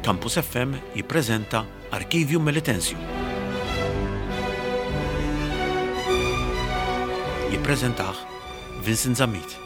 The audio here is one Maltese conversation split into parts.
Campus FM jippreżenta Archivium Melitensium. Jippreżentah Vincent Zammit.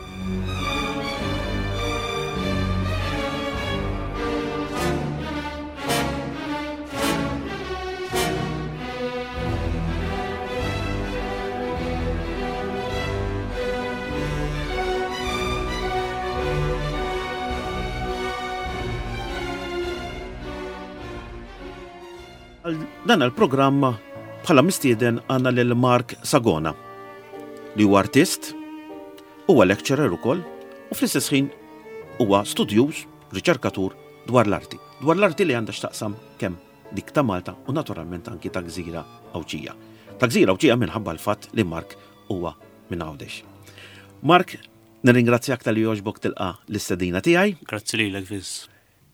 Għal dan il-programm bħala mistieden għandna lil Mark Sagona li huwa artist, huwa lecturer ukoll u fl-istess ħin huwa studjuż, riċerkatur dwar l-arti. Dwar l-arti li għandha x'taqsam kemm dik ta' Malta u naturalment anki ta' Gżira Għawdxija. Ta' Gżira Għawdxija minħabba l-fatt li Mark huwa minn Għawdex. Mark, nirringrazzjak talli jogħġbok tilqa' l-istedina tiegħi. Grazzi lilek, Vince.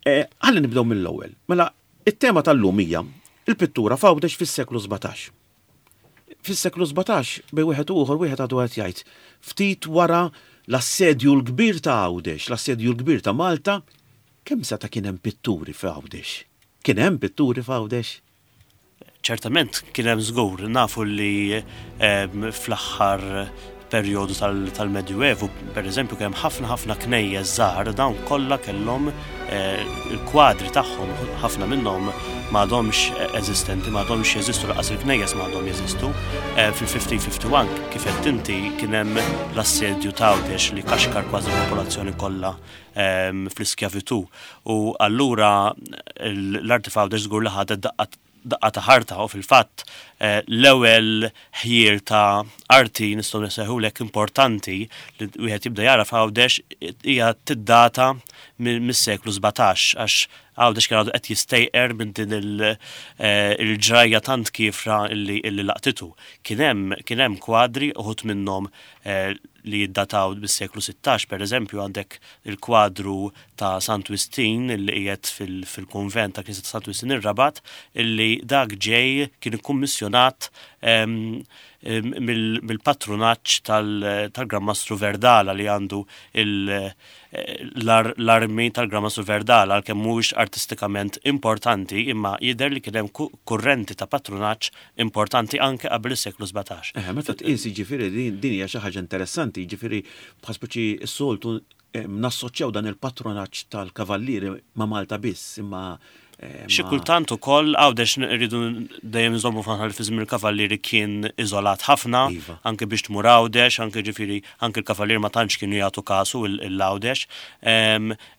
Eh, ħalli nibdew mill-ewwel. Mela, it-tema tal-lum hija il-pittura f'Għawdex fis-seklu 17. Fis-seklu 17 bejn wieħed u ieħor wieħed għadu qed jgħid ftit wara l-assedju l-kbir ta' Għawdex, l-assedju l-kbir ta' Malta, kemm seta' kien hemm pitturi f'Għawdex? Kien hemm pitturi f'Għawdex? Ċertament kien hemm żgur, nafu li fl-aħħar perjodu tal-Medjuevu, per eżempju, kien hemm ħafna ħafna knejjes żgħar, dawn kollha kellhom eh, il-kwadri tagħhom, ħafna minnhom m'għadhomx eżistenti, m'għadhomx jeżistu, laqas il-knejjes m'għadhom jeżistu. Eh, fil-1551, kif qed inti, kien hemm l-assedju ta' Għawdex li kaxkar kważi l-popolazzjoni kollha ehm, fl-iskjavitù. U allura l-arti f'Għawdex żgur li ħadet daqqa daqqa ta' ħarta u fil-fatt eh, l-ewwel ħjiel ta' arti nistgħu nsejħulek importanti li wieħed jibda jara f'Għawdex hija tiddata mis-seklu 17 għax Għawdex kien għadu qed jistejqer minn din eh, il-ġrajja tant kiefra illi laqtitu. Kien hemm kien hemm kwadri uħud minnhom eh, li jiddataw bis-seklu 16, per eżempju għandek il-kwadru ta' Sant Wistin li qiegħed fil-kunvent ta' Knisja ta' Sant Wistin ir-Rabat illi dak ġej kien ikkummissjonat mill-patrunaġġ tal-Gran Mastru Verdala li għandu l-armi tal-Gran Mastru Verdala għalkemm mhuwiex artistikament importanti imma jidher li kien hemm kurrenti ta' patrunaġġ importanti anke qabel is-seklu 17. Eħe, meta tqis jiġifieri din hija xi ħaġa interessanti, jiġifieri bħal speċi s-soltu nassoċjaw dan il-patronaġġ tal-kavallieri ma' Malta biss, imma Xi kultant ukoll Għawdex rridu dejjem nżommu f'moħħna li fi żmien il-kavallieri kien iżolat ħafna, iva. anke biex tmur Għawdex, anke ġifieri anke l-kavallieri ma tantx kienu jagħtu kasu l-Għawdex.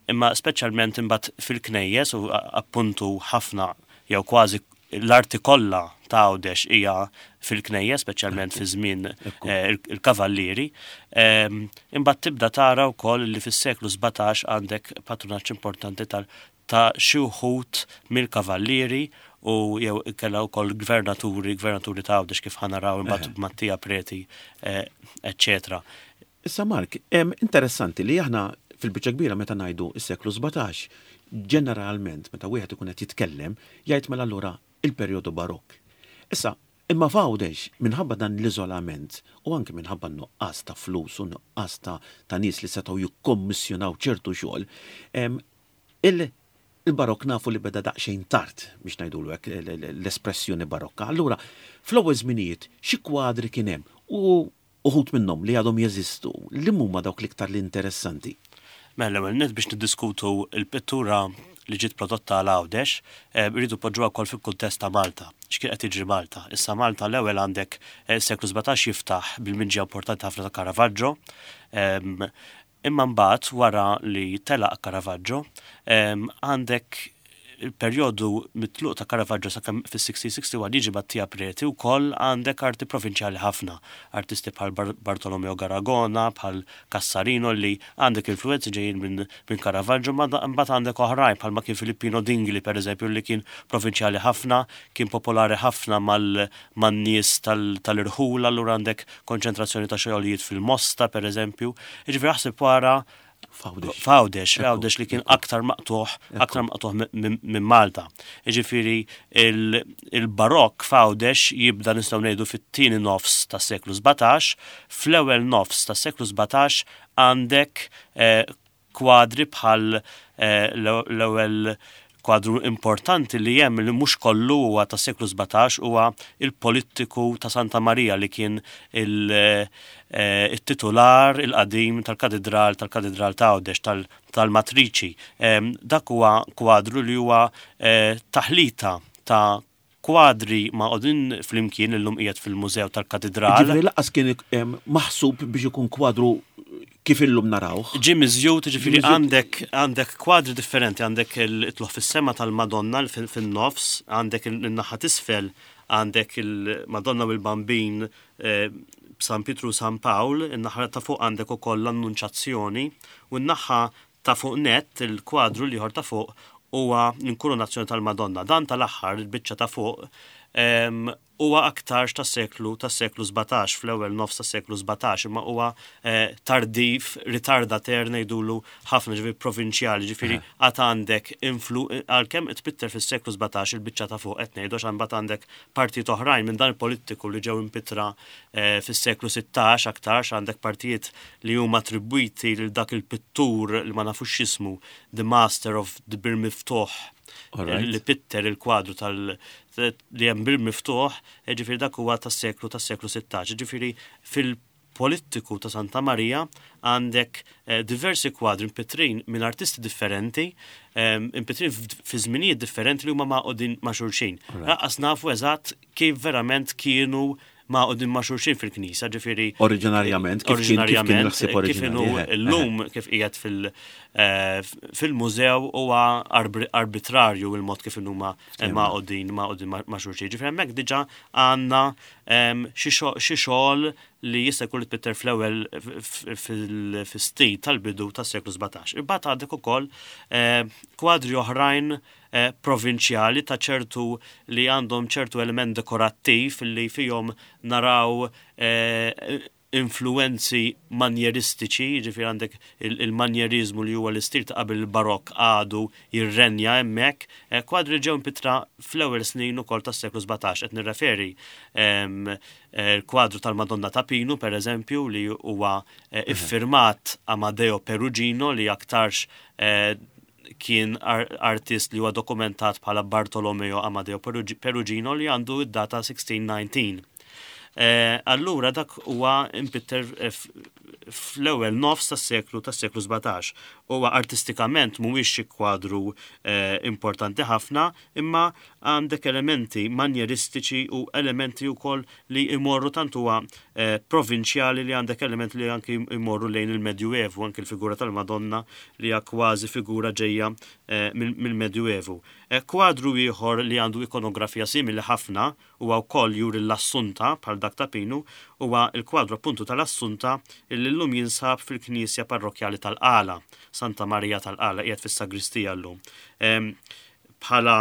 Imma speċjalment imbagħad fil-knejjes u appuntu ħafna jew kważi l-arti kollha ta' Għawdex hija fil-knejjes, speċjalment fi żmien eh, il-kavallieri. Ehm, imbagħad tibda tara wkoll li fis-seklu 17 għandek patrunaġġ importanti tal ta' xi wħud mill-kavallieri u jew kellha wkoll gvernaturi, gvernaturi ta' Għawdex kif ħanaraw imbagħad Mattia Preti, eh, eċċetera. Issa Mark, interessanti li aħna fil-biċċa kbira meta ngħidu s-seklu 17, ġeneralment meta wieħed ikun qed jitkellem, jgħid mela allura il-perjodu Barokk. Issa, imma f'Għawdex, minħabba dan l-iżolament u anke minħabba n-nuqqas ta' flus u nuqqas ta' ta' nies li setgħu jikkommissjonaw ċertu xogħol, il-Barokk nafu li beda daqsxejn tard, biex ngħidulu hekk, l-espressjoni Barokka. Allura, fl-ewwel żminijiet xi kwadri kien hemm u Uħud minnhom li għadhom jeżistu, liem huma dawk l-iktar li interessanti? Mela l-ewwel nett biex niddiskutu l-pittura li ġiet prodotta għal Għawdex, irridu npoġġuha wkoll fil-kuntest ta' Malta. X'kien qed jiġri Malta? Issa Malta l-ewwel għandek is-seklu 17 jiftaħ bil-miġja importanti ħafna ta' Caravaggio. Imma mbagħad wara li telaq Caravaggio, għandek il-perjodu mit-tluq ta' Caravaggio sakemm fis-1661 jiġi Mattia Preti wkoll għandek arti provinċjali ħafna. Artisti bħal Bartolomeo Garagona, bħal Cassarino li għandek influwenzi ġejjin minn Caravaggio, imma mbagħad għandek oħrajn bħalma kien Filippino Dingli pereżempju li kien provinċjali ħafna, kien popolari ħafna man-nies tal-irħula allura għandek konċentrazzjoni ta' xogħlijiet fil-Mosta pereżempju. Jiġifieri aħseb wara F'Għawdex. F'Għawdex, Għawdex li kien aktar maqtugħ, aktar maqtugħ minn Malta. Jiġifieri il-Barokk f'Għawdex jibda nistgħu ngħidu fit-tieni nofs tas-seklu 17, fl-ewwel nofs tas-seklu 17 għandek eh, kwadri bħal eh, l-ewwel Kwadru importanti li hemm li mhux kollu huwa tas-seklu 17 huwa il-polittiku ta' Santa Marija li kien il-titular il-qadim tal-katidral tal-katidral ta' Għawdex tal-Matriċi. Dak huwa kwadru li huwa taħlita ta' Kwadri magħqudin flimkien illum qiegħed fil-Mużew tal-Katidral. Jiġifieri lanqas kien maħsub biex ikun kwadru kif illum narawh. Ġie miżjud, jiġifieri għandek għandek kwadri differenti, għandek it-tlugħ fis-sema tal-Madonna fin-nofs, għandek in-naħa t'isfel għandek il-Madonna u l-Bambin b'San Pietru u San Pawl, in-naħa ta' fuq għandek ukoll l-Annunċazzjoni u n-naħa Ta' fuq nett, il-kwadru l-ieħor ta' fuq huwa l-Inkurunazzjoni tal-Madonna. Dan tal-aħħar, il-biċċa ta' fuq, huwa aktarx tas-seklu tas-seklu 17, fl-ewwel nofs tas-seklu 17, imma huwa tardiv, ritardater ngħidulu ħafna, ġifieri provinċjali, ġifieri għad għandek influ għalkemm tpitter fis-seklu 17 il-biċċa ta' fuq qed ngħidu għax imbagħad għandek partijiet oħrajn minn dan il-polittiku li ġew impittra Fis-seklu 16 aktarx għandek partijiet li huma attribwiti lil dak il-pittur li ma nafux x'ismu, The Master of the Bir Miftuħ, li pitter il-kwadru tal li hemm Bir Miftuħ, ġifieri dak huwa tas-seklu tas-seklu 16. Ġifieri fil-polittiku ta' Santa Marija għandek diversi kwadri mpittrin minn artisti differenti, impittrin fi żminijiet differenti li huma magħqudin ma' xulxin. Lanqas nafu eżatt kif verament kienu magħqudin ma' xulxin fil-knisja, ġifieri. Oriġinarjament, kif kien kif kien il-ħsieb oriġinali. Kif inhu llum kif qiegħed fil-mużew huwa arbitrarju il-mod kif inhuma magħqudin magħqudin ma' xulxin. Ġifieri hemmhekk diġà għandna xi xogħol li jista' jkun li tpitter fl-ewwel fis-stil tal-bidu tas-seklu 17. Imbagħad għandek ukoll kwadri oħrajn provinċjali ta' ċertu li għandhom ċertu element dekorattiv li fihom naraw influwenzi manjeristiċi, jiġifieri għandek il-manjeriżmu li huwa l-istil ta' qabel il-Barokk għadu jirrenja hemmhekk, kwadri li ġew impittra fl-ewwel snin ukoll tas-seklu 17, qed nirreferi l-kwadru tal-Madonna ta' Pinu pereżempju li huwa iffirmat Amadeo Perugino li aktarx kien artist li huwa dokumentat bħala Bartolomeo Amadeo Perugino li għandu id-data 1619. Eh, allura dak huwa impitter eh, fl-ewwel nofs tas-seklu tas-seklu 17. Huwa artistikament mhuwiex xi kwadru eh, importanti ħafna, imma għandek elementi manjeristiċi u elementi wkoll li jmorru tant huwa provinċjali li għandek elementi li anki jmorru lejn il-Medjuevu, anki l-figura tal-Madonna li hija kważi figura ġejja mill-Medjuevu. Kwadru ieħor li għandu ikonografija simili ħafna huwa wkoll juri l-Assunta bħal dak ta' Pinu, huwa l-kwadru appuntu tal-Assunta li llum jinsab fil-knisja parrokkjali tal-Qala, Santa Marija tal-Qala, qiegħed fis-sagristija llum. Bħala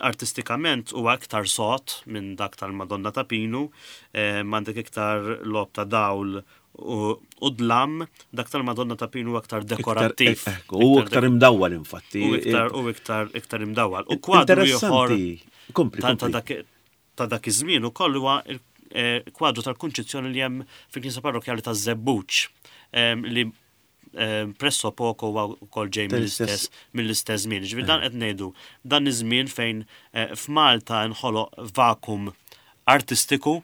artistikament huwa iktar sod minn dak tal-Madonna ta' Pinu, għandek iktar logħob ta' dawl u dlam, dak tal-Madonna ta' Pinu huwa iktar dekorattiv. U iktar imdawwal infatti. U iktar u iktar iktar imdawwal. U kwadru ieħor ta' dak iż-żmien ukoll huwa kwadru tal-Kunċizzjoni li hemm fil-Knisja Parrokkjali taż-Żebbuġ li presso poco huwa wkoll ġej mill-istess mill-istess żmien. Ġifieri dan qed ngħidu dan iż-żmien fejn eh, f'Malta nħoloq vakum artistiku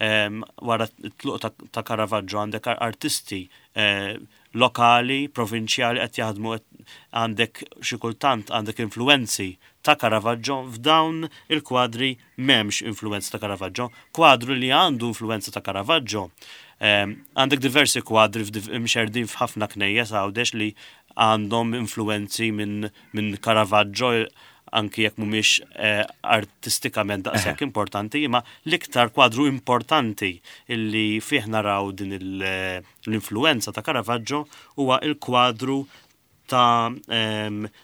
wara t-tluq ta' Caravaggio għandek artisti eh, lokali, provinċjali qed jaħdmu għandek xi kultant għandek influenzi ta' Caravaggio f'dawn il-kwadri m'hemmx influenza ta' Caravaggio. Kwadru li għandu influenza ta' Caravaggio, ehm, għandek diversi kwadri mxerdin f'ħafna knejjes Għawdex li għandhom influenzi minn min Caravaggio anki jekk mhumiex eh, artistikament daqshekk importanti, imma l-iktar kwadru importanti illi fih naraw din eh, l-influenza ta' Caravaggio huwa il-kwadru ta'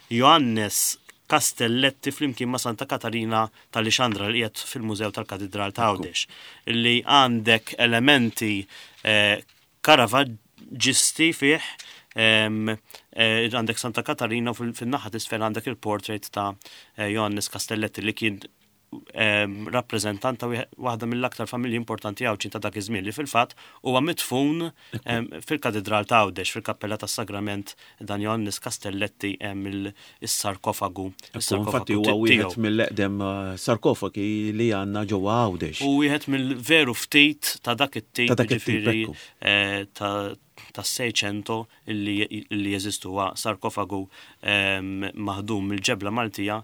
Joannes Castelletti flimkien ma' Santa Katarina ta' Lixandra li qiegħed fil-Mużew tal-Katidral ta' Għawdex. Li għandek elementi eh, Caravaggisti fih, eh, għandek Santa Katarina u fin-naħa t'isfel għandek il-portrait ta' eh, Joannes Castelletti li kien rappreżentant ta' waħda mill-aktar familji importanti Għawdxin ta' dak iż-żmien li fil-fatt huwa midfun fil-Katidral ta' Għawdex fil-Kappella tas-Sagrament dan Johannes Castelletti hemm is-sarkofagu. Infatti huwa wieħed mill-eqdem sarkofagi li għandna ġewwa Għawdex. U wieħed mill-veru ftit ta' dak it-tip ġifieri tas-Seicento li jeżistu huwa sarkofagu maħdum mill-ġebla Maltija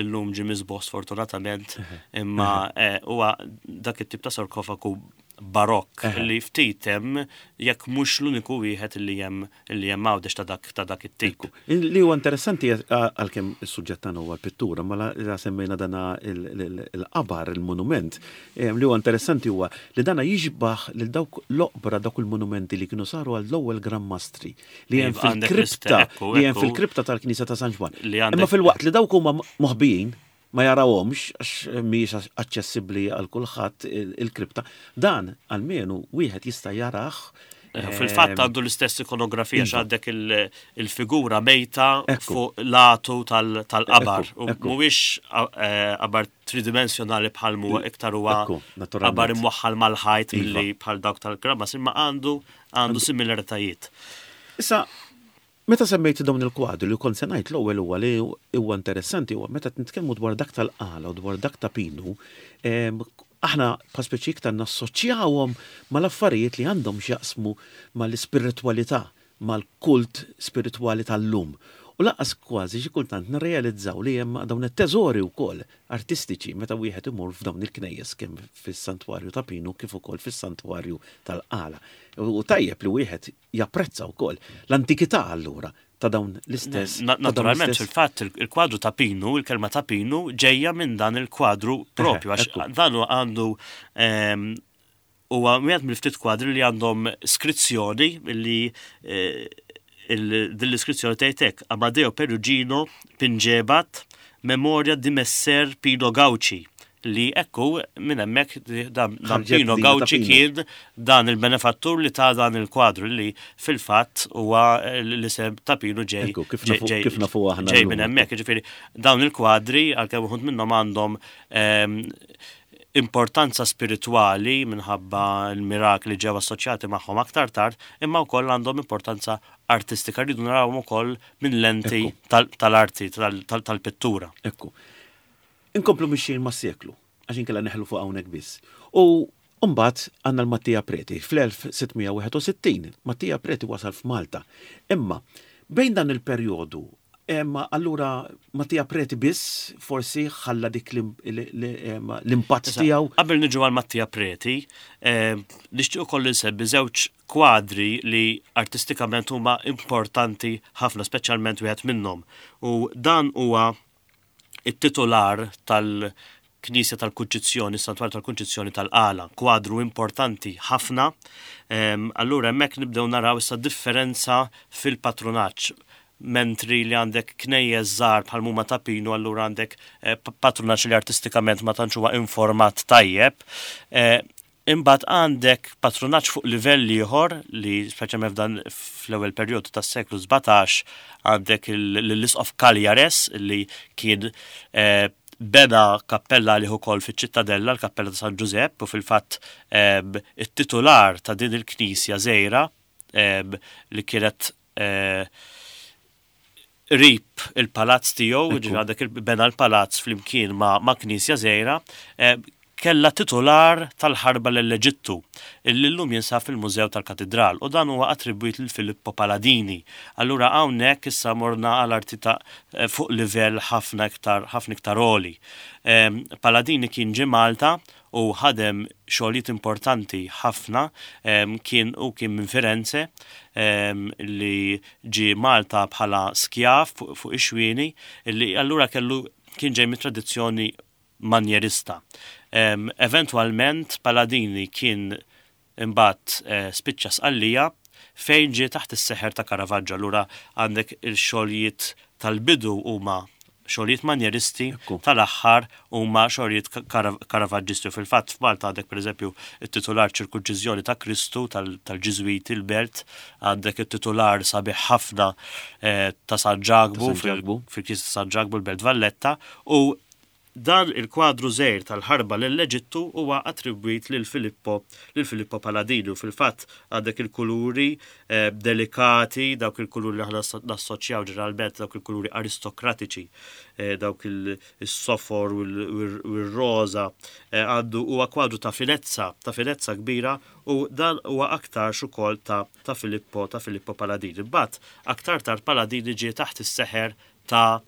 illum ġie miżbugħ sfortunatament, imma huwa dak it-tip ta' sarkofagu barokk li ftit hemm jekk mhux l-uniku wieħed li hemm li hemm Għawdex ta' dak ta' dak it-tip. Li huwa interessanti għalkemm is-suġġett tagħna huwa l-pittura, ma la semmejna dana il-qabar, il-monument, li huwa interessanti huwa li dana jixbah lil dawk l-oqbra dawk il-monumenti li kienu saru għall-ewwel Gran Mastri li hemm fil-kripta li hemm fil-kripta tal-Knisja ta' San Ġwann. Imma filwaqt li dawk huma moħbijin ma jarawhomx għax mhijiex aċċessibbli għal kulħadd il-kripta, dan almenu wieħed jista' jarah. Fil-fatt għandu l-istess ikonografija għandek il-figura mejta fuq l-għatu tal-qabar. Mhuwiex qabar tridimensjonali bħal huwa iktar huwa qabar imwaħħal mal-ħajt milli bħal dawk tal-Kramas, imma għandu Għandu similaritajiet. Issa, meta semmejt dawn il-kwadri li kont se ngħid l-ewwel huwa li huwa interessanti huwa meta nitkellmu dwar dak tal-Qala u dwar dak ta' Pinu, aħna bħal speċi iktar nassoċjawhom mal-affarijiet li għandhom x'jaqsmu mal-ispiritwalità, mal-kult spiritwali tal-lum. U lanqas kważi xi kultant nirrealizzaw li hemm dawn it-teżori wkoll artistiċi meta wieħed imur f'dawn il-knejjes kemm fis-Santwarju ta' Pinu kif ukoll fis-Santwarju tal-Qala. U tajjeb li wieħed japprezza wkoll l-antikità allura ta' dawn l-istess. Naturalment, fil-fatt il-kwadru ta' Pinu, il-kelma ta' Pinu ġejja minn dan il-kwadru propju għax dan għandu Huwa wieħed mill-ftit kwadri li għandhom skrizzjoni li eh, din l-iskrizzjoni tgħid hekk Amadeo Perugino pinġebat Memoria di Messer Pino Gauci li ekku minn hemmhekk dan Pino Gauci kien dan il-benefattur li ta' dan il-kwadru li fil-fatt huwa l-isem ta' Pino ġej. Kif nafu aħna. Ġej minn hemmhekk, ġifieri dawn il-kwadri għalkemm uħud minnhom għandhom ehm, importanza spiritwali minħabba l-mirakli ġew assoċjati magħhom aktar tard, imma wkoll għandhom importanza artistika, rridu narawhom ukoll minn lenti tal-arti, tal-pittura. Ekku. Inkomplu mixjin mas-seklu, għax inkella neħlu fuq hawnhekk biss. U mbagħad għandna l-Mattia Preti. Fl-1661, Mattia Preti wasal f'Malta. Imma bejn dan il-perjodu Imma allura Mattia Preti biss forsi ħalla dik l-impatt tiegħu. Qabel niġu għal Mattia Preti, nixtieq ukoll insemmi żewġ kwadri li artistikament huma importanti ħafna, speċjalment wieħed minnhom. U dan huwa it-titular tal Knisja tal-Kunċizzjoni, is-Santwarju tal-Kunċizzjoni tal-Qala, kwadru importanti ħafna. Allura hemmhekk nibdew naraw issa differenza fil-patrunaġġ. Mentri li għandek knejjes żgħar bħal huma ta' Pinu, allura għandek eh, patrunaġġ li artistikament ma tantx huwa informat tajjeb. Eh, Imbagħad għandek patrunaġġ fuq livell ieħor li speċjalment f'dan fl-ewwel perjodu tas-seklu 17 għandek lill-Isqof Cagliares li kien eh, bena kappella għalih ukoll fiċ-Ċittadella, l-Kappella ta' San Ġużepp, u fil-fatt eh, it-titular ta' din il-knisja żgħira eh, li kienet qrib il-palazz tiegħu, ġifieri għandek bena l-palazz flimkien ma', ma knisja żgħira, eh, kella titular tal-ħarba l-Eġittu, illi llum jinsab fil-Mużew tal-Katidral u dan huwa attribwit lil Filippo Paladini. Allura hawnhekk issa morna għal arti ta' eh, fuq livell ħafna iktar ħafna iktar għoli. Eh, Paladini kien ġie Malta u ħadem xogħlijiet importanti ħafna kien u kien minn Firenze li ġie Malta bħala skjav fuq ix-xwieni li allura kellu kien ġej mit-tradizzjoni manjerista. Eventwalment Paladini kien imbagħad eh, spiċċa Sqallija fejn ġie taħt is-seħer ta' Caravaggio. Allura għandek il-xogħlijiet tal-bidu huma xogħlijiet manjeristi, tal-aħħar huma xogħlijiet Caravaggisti. Fil-fatt f'Malta għandek pereżempju it-titular ċirkunċiżjoni ta' Kristu tal-Ġiżwiti l-Belt, għandek it-titular sabiħ ħafna eh, ta' San Ġakbu fil-Knisja ta' San Ġakbu l-Belt Valletta u Dan il-kwadru żgħir tal-ħarba lejn l-Eġittu huwa attribwit lil Filippo lil Filippo Paladini u fil-fatt għandek il-kuluri delikati, dawk il-kuluri li aħna nassoċjaw ġeneralment dawk il-kuluri aristokratiċi, dawk is-sofor u r-roża, għandu huwa kwadru ta' finezza, ta' finezza kbira u dan huwa aktarx ukoll ta' ta' Filippo ta' Filippo Paladini. Imbagħad aktar tard Paladini ġie taħt is-seħer ta'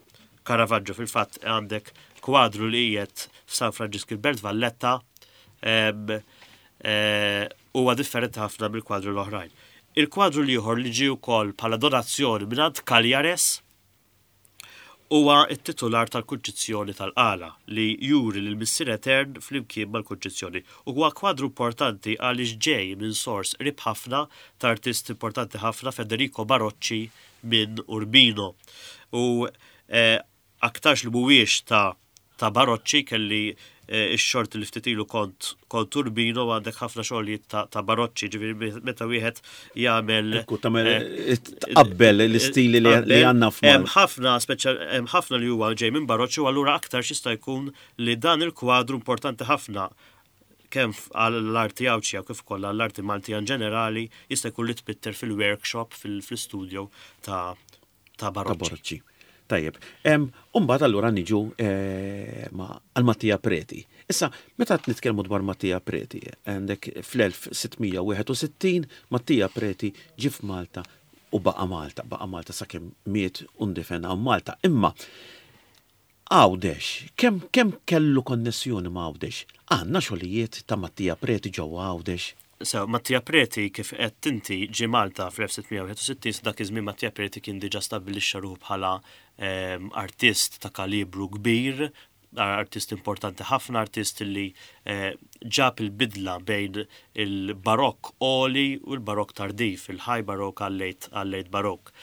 Caravaggio. Fil-fatt għandek kwadru li qiegħed f'San Franġisk il-Belt Valletta eh, huwa differenti ħafna mill-kwadru l-oħrajn. Il-kwadru l-ieħor li ġie wkoll bħala donazzjoni mingħand Cagliares Huwa t-titular tal-Kunċizzjoni tal-Qala, li juri lill-Missier Etern flimkien mal-Kunċizzjoni. U huwa kwadru importanti għaliex ġej minn sors qrib ħafna ta' artist importanti ħafna, Federico Barocci minn Urbino. U aktarx li mhuwiex ta' ta' Barocci kelli x-xorti li ftit ilu kont kont Urbino u għandek ħafna xogħlijiet ta', ta Barocci, ġifieri meta wieħed jagħmel Ekku tagħmel tqabbel l-istili li għandna f'Malta. Hemm ħafna speċjal hemm ħafna li huwa ġej minn Barocci u allura aktar x'jista' jkun li dan il-kwadru importanti ħafna kemm għall-arti Għawdxija kif ukoll għall-arti Maltija in ġenerali jista' jkun li tpitter fil-workshop fil-studio ta' ta' Barocci. Tajjeb. Umbagħad allura niġu eh, għal Mattia Preti. Issa, meta qed nitkellmu dwar Mattia Preti, għandek fl-1661 Mattia Preti ġie f'Malta u baqa' Malta, baqa' Malta sakemm miet u ndifen hawn Malta. Imma Għawdex, kemm kemm kellu konnessjoni ma' Għawdex? Għandna xogħlijiet ta' Mattia Preti ġewwa Għawdex? Sew, Mattia Preti, kif għedt inti, ġie Malta fl-1661, sa dak iż-żmien Mattia Preti kien diġà stabbilixxa ruħu bħala artist ta' kalibru kbir, artist importanti ħafna, artist li ġab il-bidla bejn il-Barokk għoli u l-Barokk tardiv, il-High Baroque għal-Late Baroque.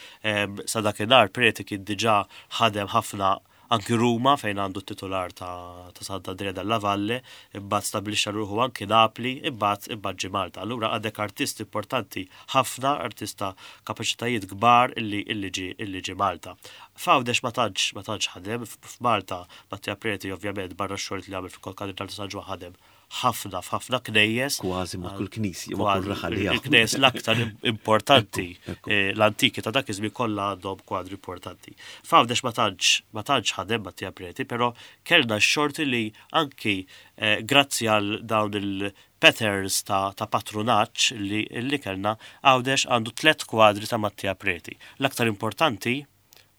Sa dakinhar Preti kien diġà ħadem ħafna anki Ruma fejn għandu t-titular ta' Sant'Andrea della Valle, imbagħad stabbilixxa ruħu anki Napli, imbagħad imbagħad ġie Malta. Allura għandek artist importanti ħafna, artist ta' kapaċitajiet kbar illi illi ġie illi ġie Malta. F'Għawdex ma tantx ma tantx ħadem, f'Malta Mattia Preti ovvjament barra x-xogħlijiet li għamel fil-Konkatedral ta' San Ġwann ħadem ħafna f'ħafna knejjes. Kważi ma' kull knisja, ma' kull raħal li Il-knejjes l-aktar importanti, eh, l-antiki ta' dak iż-żmien kollha għandhom kwadri importanti. F'Għawdex ma tantx ma tantx ħadem Mattia Preti, però kellna x-xorti li anki eh, grazzi għal dawn il-patterns ta', ta patrunaġġ li, li kellna, Għawdex għandu tlet kwadri ta' Mattia Preti. L-aktar importanti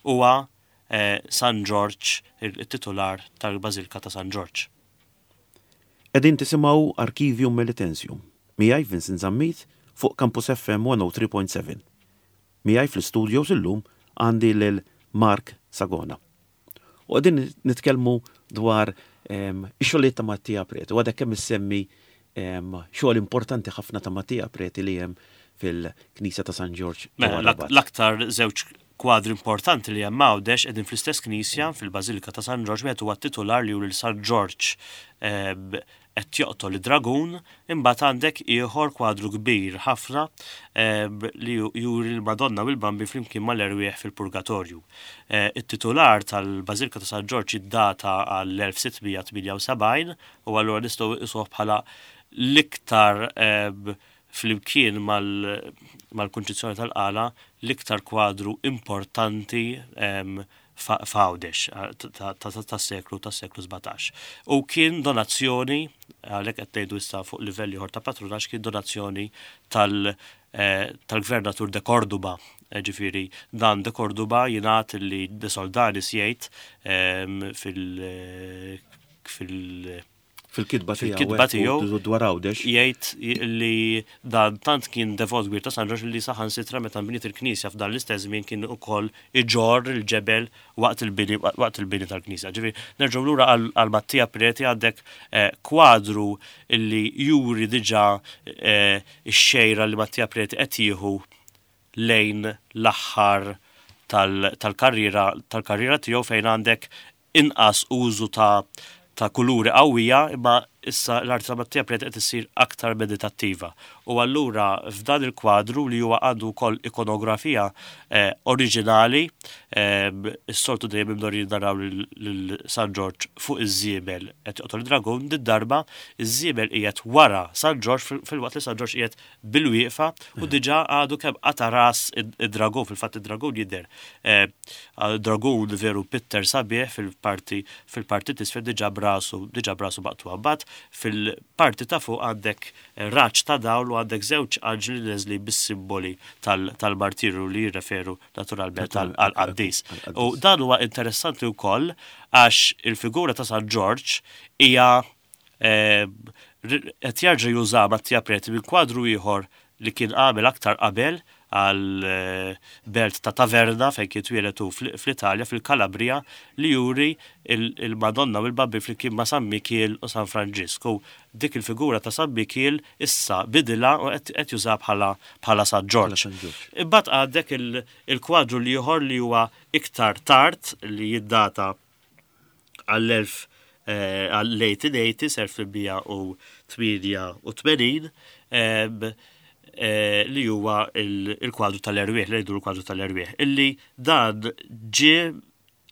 huwa eh, San Ġorġ, il-titular tal-Bażilka ta' San Ġorġ. Qegħdin tisimgħu Archivium Melitensium, miegħi Vincent Zammit fuq Campus FM 103.7. Miegħi fl-istudios illum għandi lil Mark Sagona. U qegħdin nitkellmu dwar ehm, ix-xogħlijiet ta' Mattia Preti u għadek kemm issemmi ehm, xogħol importanti ħafna ta' Mattia Preti li hemm fil-Knisja ta' San Ġorġ. Mela, l-aktar żewġ kwadri importanti li hemm Għawdex qegħdin fl-istess knisja fil-Bażilika ta' San Ġorġ wieħed huwa t-titular li juri lil San Ġorġ ehm, qed joqtol id-dragun, imbagħad għandek ieħor kwadru kbir ħafna ehm, li juri l-Madonna u l-Bambi flimkien mal-erwieħ fil-Purgatorju. Eh, it-titular tal-Bażilika ta' San Ġorġ iddata għall-1678 u allura nistgħu nqisuh bħala l-iktar ehm, flimkien mal-Kunċizzjoni tal-Qala l-iktar kwadru importanti f'Għawdex tas-seklu tas-seklu 17. U kien donazzjoni, għalhekk qed ngħidu issa fuq livell ieħor ta' patrunaġġ, kien donazzjoni tal-Gvernatur de Corduba. Ġifieri dan de Corduba jingħad li de Soldanis jgħid fil- fil- Fil-kitba tiegħu. Fil-kitba tiegħu dwar Għawdex. Jgħid li dan tant kien devot kbir ta' San Ġorġ li saħansitra meta nbniet il-knisja f'dan l-istess żmien kien ukoll iġorr il-ġebel waqt il-bini waqt il-bini tal-knisja. Ġifieri nerġgħu lura għal Mattia Preti għandek eh, kwadru li juri diġà eh, x-xejra li Mattia Preti qed jieħu lejn l-aħħar tal-karriera tal-karriera tiegħu fejn għandek inqas użu ta' ta' kuluri qawwija imma Issa l-arti ta' Mattia Preti qed issir aktar meditattiva. U allura f'dan il-kwadru li huwa għandu wkoll ikonografija eh, oriġinali, eh, is-soltu dejjem imdorrin naraw lil San Ġorġ fuq iż-żiemel qed joqtol id-dragun, did-darba iż-żiemel qiegħed wara San Ġorġ filwaqt li San Ġorġ qiegħed bil-wieqfa u mm. diġà għadu kemm qata' ras id-dragun, fil-fatt id-dragun jidher. Eh, dragun veru pitter sabiħ fil-parti fil-parti t'isfel diġà brasu diġà brasu maqtugħa. Mbagħad fil-parti ta' fuq għandek eh, raġġ ta' dawl u għandek żewġ anġli neżli bis-simboli tal-martirju li jirreferu naturalment għall-qaddis. U dan huwa interessanti wkoll għax il-figura ta' San Ġorġ hija Qed jerġa' juża Mattia Preti minn kwadru ieħor li kien għamel aktar qabel għal belt ta' Taverna fejn kien twieled hu fl-Italja, fil-Calabria, li juri il-Madonna u l-Bambin flimkien ma' San Mikiel u San Franġisk. U dik il-figura ta' San Mikiel issa bidilha u qed jużaha bħala bħala San Ġorġ. Imbagħad għandek il-kwadru l-ieħor li huwa iktar tard li jiddata għall-1880s, 1888, li huwa il-kwadru tal-erwieħ, li jgħidu l-kwadru tal-erwieħ, illi dan ġie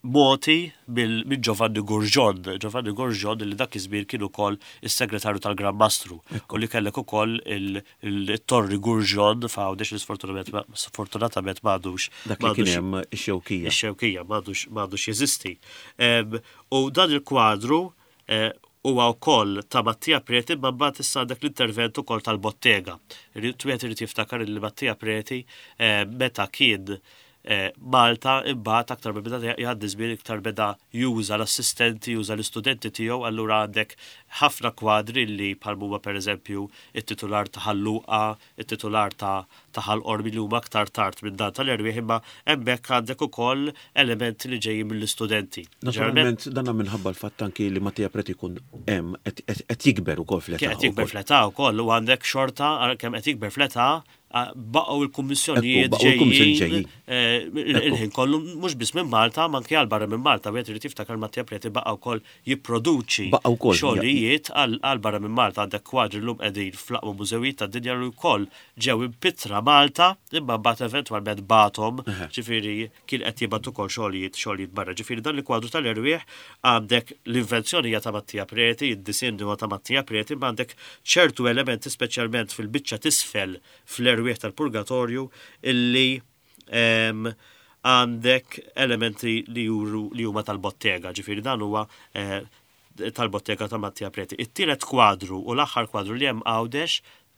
moti minn Giovanni Gurġon. Giovanni Gurġon li dak iż-żmien kien ukoll is-segretarju tal-Gran Mastru u li kellek ukoll it-Torri Gurġon f'Għawdex li sfortunatament m'għadux. Dak li kien hemm ix-Xewkija. Ix-Xewkija m'għadux jeżisti. U dan il-kwadru eh, huwa wkoll ta' Mattia Preti imma mbagħad issa għandek l-intervent ukoll tal-bottega. Wieħed irid jiftakar li Mattia Preti eh, meta kien Malta imbagħad aktar ma beda jgħaddi żmien iktar beda juża l-assistenti, juża l-istudenti tiegħu, allura għandek ħafna kwadri li bħal huma pereżempju it-titular ta' Ħal Luqa, it-titular ta' ta' Ħal Qormi li huma aktar tard minn dan tal-erwieħ imma hemmhekk għandek ukoll elementi li ġejjin mill-istudenti. Naturalment dan minħabba l-fatt anki li Mattia Preti jkun hemm qed jikber ukoll fl-età. Qed jikber fl-età wkoll u għandek xorta kemm qed jikber fl-età baqgħu il-kummissjonijiet ġejjin eh, il-ħin kollu mhux biss minn Malta, ma anke għal barra minn Malta, wieħed irid jiftakar Mattia Preti baqa' wkoll jipproduċi xogħlijiet għal barra minn Malta għandek kwadri llum qegħdin fl-aqwa mużewijiet tad-dinja li wkoll ġew impittra Malta imma mbagħad eventwalment bagħthom, ġifieri kien qed jibgħat ukoll xogħlijiet xogħlijiet barra. Ġifieri dan il-kwadru tal-erwieħ għandek l-invenzjoni hija ta' Mattia Preti, id-disinn huwa ta' Mattia Preti, imma għandek ċertu elementi speċjalment fil-biċċa t'isfel fl-erwieħ tal-purgatorju illi ehm, għandek elementi li juru li huma tal-bottega, ġifieri dan huwa eh, tal-bottega ta' Mattia Preti. It-tielet kwadru u l-aħħar kwadru li hemm Għawdex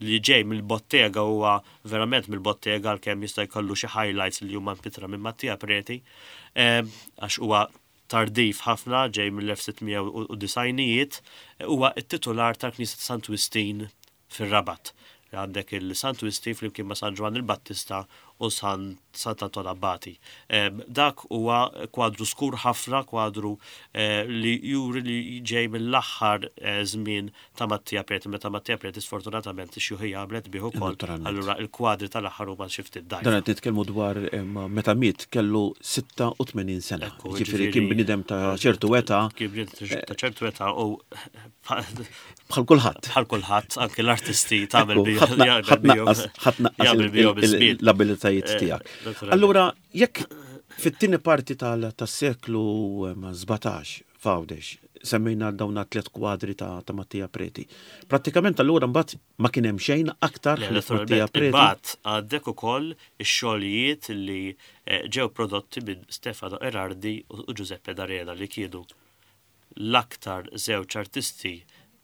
li ġej mill-bottega huwa verament mill-bottega għalkemm jista' jkollu xi highlights li huma mpittra minn Mattia Preti ehm, għax huwa tardiv ħafna ġej mill-1690ijiet huwa t-titular tal-Knisja ta' Sant Wistin fir-Rabat. Għandek il-Sant Wistin flimkien ma' San Ġwann il-Battista u San Sant'Anton Abbati. Dak huwa kwadru skur ħafna, kwadru eh, li juri li ġej mill-aħħar eh, żmien ta' Mattia Preti, meta Mattia Preti sfortunatament ix-xjuħija għamlet bih ukoll. Allura il-kwadri tal-aħħar huma xi ftit dgħajfa. Dan qed nitkellmu dwar meta miet kellu 86 sena. Ġifieri kien bniedem ta' ċertu età. Kien bniedem ta' ċertu età u Bħal kulħadd. Bħal kulħadd, anke l-artisti tagħmel Ħadd naqqas l-abilitajiet eh, tiegħek. Allura, jekk fit-tieni parti tas-seklu 17 f'Għawdex semmejna dawn tliet kwadri ta' Mattia Preti. Prattikament allura mbagħad ma kien hemm xejn aktar ħlief Mattia Preti. Imbagħad għandek ukoll ix-xogħlijiet li eh, ġew prodotti minn Stefano Erardi u Giuseppe D'Arena li kienu l-aktar żewġ artisti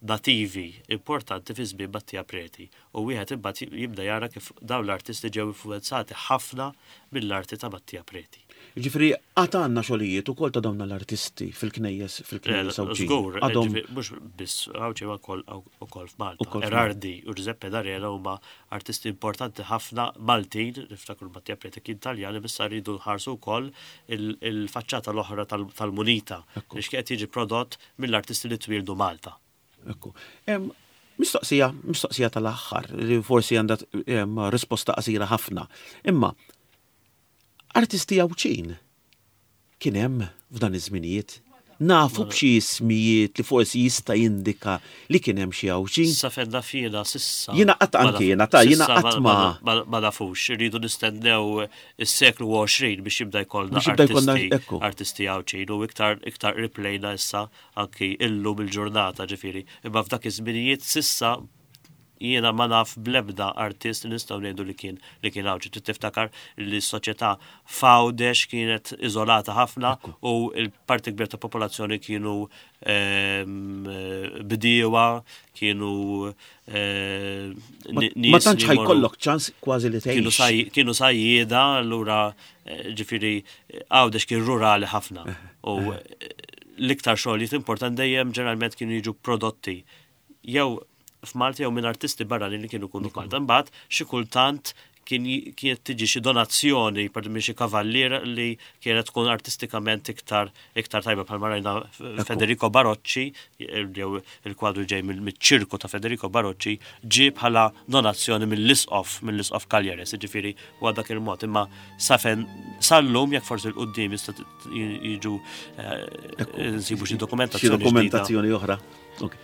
nativi importanti fi żmien Mattia Preti u wieħed imbagħad jibda jara kif dawn l-artisti ġew influwenzati ħafna mill-arti ta' Mattia Preti. Jiġifieri għad għandna xogħlijiet ukoll ta' dawn l-artisti fil-knejjes fil-knejjes Għawdxin. Żgur, mhux biss Għawdxi imma wkoll f'Malta. Erardi u Giuseppe D'Arena huma artisti importanti ħafna Maltin, niftakru Mattia Preti kien Taljan, imma issa rridu nħarsu wkoll il-faċċata l-oħra tal-munita li x'kien jiġi prodott mill-artisti li twieldu Malta. Ekku. Mistoqsija, mistoqsija tal-aħħar, li forsi għandha risposta qasira ħafna. Imma, artisti Għawdxin kien hemm f'dan iż-żminijiet? Nafu b'xi ismijiet li forsi jista' jindika li kien hemm xi Għawdxin? Sa fejn naf jiena s'issa. Jiena qatt anki jiena ta' jiena qatt ma. Ma nafux, irridu nistennew is-seklu 20 biex jibda jkollna artisti artisti Għawdxin u iktar iktar qrib lejna issa anki illum il-ġurnata ġifieri. Imma f'dak iż-żminijiet s'issa Jiena ma naf bl-ebda artist li nistgħu ngħidu li kien li kien Għawdxi. Trid tiftakar li s-soċjetà f'Għawdex kienet iżolata ħafna u l-parti kbira ta' popolazzjoni kienu ehm, bdiewa, kienu ehm, Ma tantx ħajkollok ċans kważi li tgħix. Kienu sajjieda, allura eh, ġifieri Għawdex kien rurali ħafna. U l-iktar xogħlijiet importanti dejjem ġeneralment kienu jiġu prodotti jew f'Malta jew minn artisti barranin li kienu jkunu f'Malta. Imbagħad xi kultant kien kienet tiġi xi donazzjoni per minn xi kavallier li kienet tkun artistikament iktar iktar tajba bħalma rajna Federico Barocci jew il-kwadru ġej mill-ċirku ta' Federico Barocci ġie bħala donazzjoni mill-isqof mill-isqof Cagliares, jiġifieri huwa dak il-mod. Imma safen sal-lum jekk forsi l-qudiem jista' jiġu eh, nsibu xi dokumentazzjoni. Xi dokumentazzjoni oħra. Ok.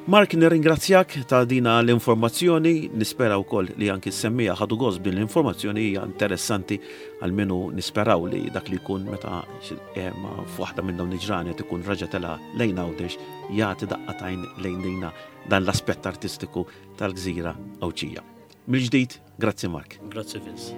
Mark, nirringrazzjak ta' dina l-informazzjoni, nispera wkoll li anki s-semmija ħadu gost din l-informazzjoni hija interessanti għalmenu nisperaw li dak li jkun meta eh, f'waħda minn dawn il-ġranet ikun raġa tela lejn Għawdex jagħti daqqatajn lejn dina dan l-aspett artistiku tal-gżira Għawdxija. Mill-ġdid, grazzi Mark. Grazzi Vince.